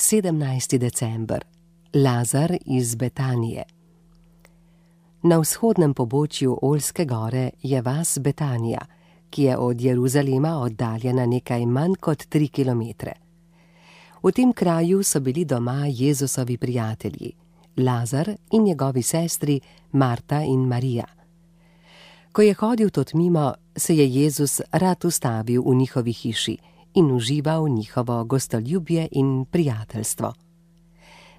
17. december. Lazar iz Betanije. Na vzhodnem pobočju Oljske gore je vas Betanija, ki je od Jeruzalema oddaljena nekaj manj kot 3 kilometre. V tem kraju so bili doma Jezusovi prijatelji, Lazar in njegovi sestri Marta in Marija. Ko je hodil tod mimo, se je Jezus rad ustavil v njihovi hiši in užival njihovo gostoljubje in prijateljstvo.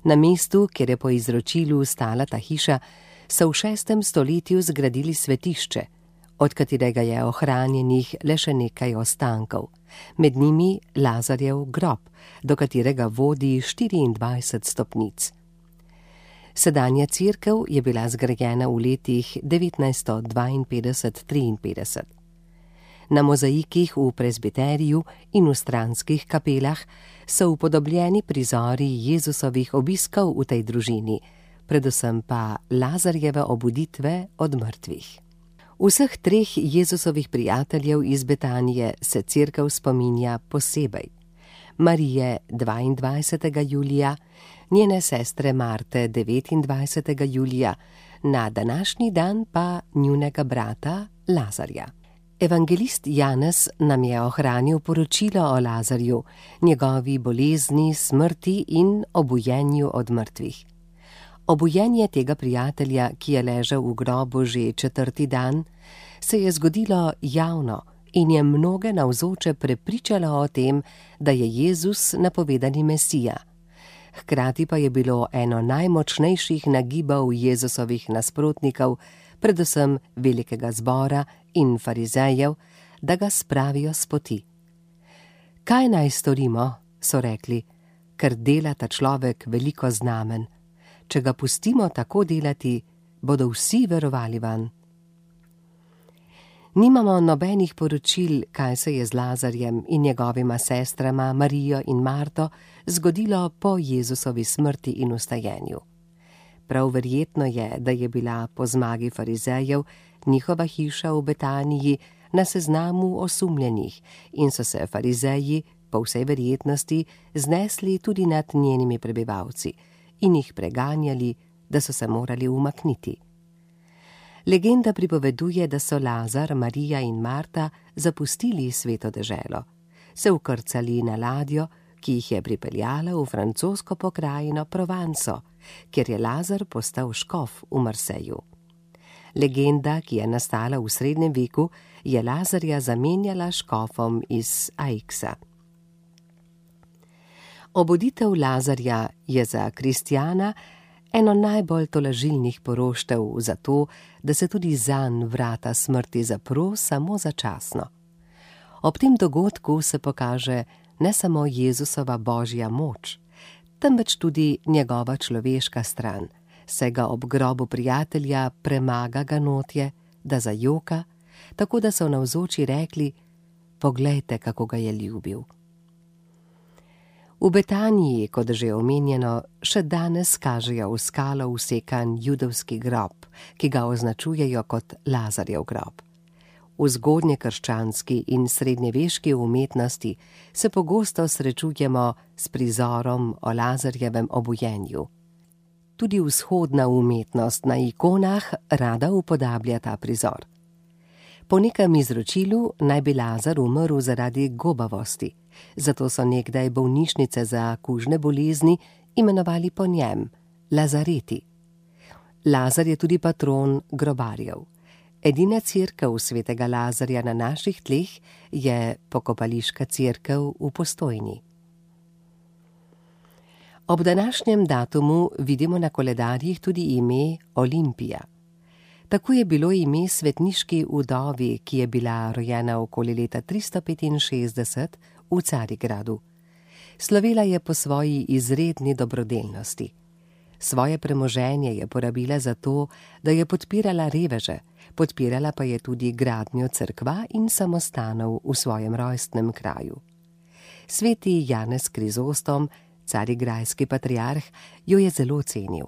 Na mestu, kjer je po izročilu stala ta hiša, so v 6. stoletju zgradili svetišče, od katerega je ohranjenih le še nekaj ostankov, med njimi Lazarjev grob, do katerega vodi 24 stopnic. Sedanja cerkev je bila zgrajena v letih 1952–53. Na mozaikih v prezbiteriju in v stranskih kapelah so upodobljeni prizori Jezusovih obiskov v tej družini, predvsem pa Lazarjeve obuditve od mrtvih. Vseh 3 Jezusovih prijateljev iz Betanije se cerkev spominja posebej. Marije 22. julija, njene sestre Marte 29. julija, na današnji dan pa njunega brata Lazarja. Evangelist Janez nam je ohranil poročilo o Lazarju, njegovi bolezni, smrti in obujenju od mrtvih. Obujenje tega prijatelja, ki je ležal v grobu že 4. dan, se je zgodilo javno in je mnoge navzoče prepričalo o tem, da je Jezus napovedani Mesija. Hkrati pa je bilo eno najmočnejših nagibov Jezusovih nasprotnikov, predvsem velikega zbora in farizejev, da ga spravijo s poti. Kaj naj storimo, so rekli, ker dela ta človek veliko znamen. Če ga pustimo tako delati, bodo vsi verovali vanj. Nimamo nobenih poročil, kaj se je z Lazarjem in njegovima sestrama Marijo in Marto zgodilo po Jezusovi smrti in vstajenju. Prav verjetno je, da je bila po zmagi farizejev njihova hiša v Betaniji na seznamu osumljenih in so se farizeji po vsej verjetnosti znesli tudi nad njenimi prebivalci in jih preganjali, da so se morali umakniti. Legenda pripoveduje, da so Lazar, Marija in Marta zapustili sveto deželo, se vkrcali na ladjo, ki jih je pripeljala v francosko pokrajino Provanso, kjer je Lazar postal škof v Marseju. Legenda, ki je nastala v srednjem veku, je Lazarja zamenjala škofom iz Aixa. Obuditev Lazarja je za kristjana eno najbolj tolažilnih poroštev za to, da se tudi zanj vrata smrti zapro samo začasno. Ob tem dogodku se pokaže ne samo Jezusova božja moč, temveč tudi njegova človeška stran, saj ga ob grobu prijatelja premaga ganotje, da zajoka, tako da so navzoči rekli: poglejte, kako ga je ljubil. V Betaniji, kot že omenjeno, še danes kažejo v skalo vsekan judovski grob, ki ga označujejo kot Lazarjev grob. V zgodnjekrščanski in srednjeveški umetnosti se pogosto srečujemo s prizorom o Lazarjevem obujenju. Tudi vzhodna umetnost na ikonah rada upodablja ta prizor. Po nekem izročilu naj bi Lazar umrl zaradi gobavosti, zato so nekdaj bolnišnice za kužne bolezni imenovali po njem, Lazareti. Lazar je tudi patron grobarjev. Edina cerkev svetega Lazarja na naših tleh je pokopališka cerkev v Postojni. Ob današnjem datumu vidimo na koledarjih tudi ime Olimpija. Tako je bilo ime svetniški vdovi, ki je bila rojena okoli leta 365 v Carigradu. Slovela je po svoji izredni dobrodelnosti. Svoje premoženje je porabila za to, da je podpirala reveže, podpirala pa je tudi gradnjo cerkva in samostanov v svojem rojstnem kraju. Sveti Janez Krizostom, carigrajski patriarh, jo je zelo cenil.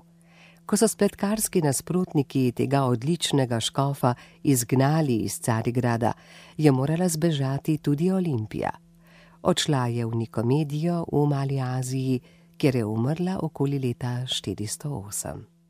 Ko so spletkarski nasprotniki tega odličnega škofa izgnali iz Carigrada, je morala zbežati tudi Olimpija. Odšla je v Nikomedijo v Mali Aziji, kjer je umrla okoli leta 408.